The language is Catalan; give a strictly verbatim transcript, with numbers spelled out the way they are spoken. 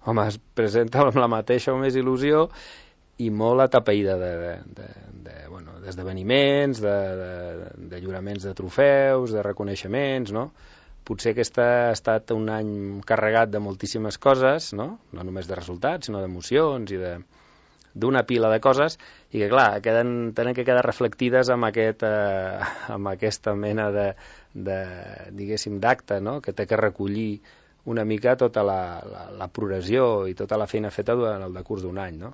home, es presenta amb la mateixa o més il·lusió i molt atapeïda de, de, de, de, bueno, d'esdeveniments, de, de, de lliuraments de trofeus, de reconeixements, no? Potser aquest ha estat un any carregat de moltíssimes coses, no? No només de resultats, sinó d'emocions i de d'una pila de coses, i que, clar, queden, tenen que quedar reflectides amb, aquest, eh, amb aquesta mena de, de diguéssim, d'acte, no? Que té que recollir una mica tota la, la, la progressió i tota la feina feta durant el decurs d'un any, no?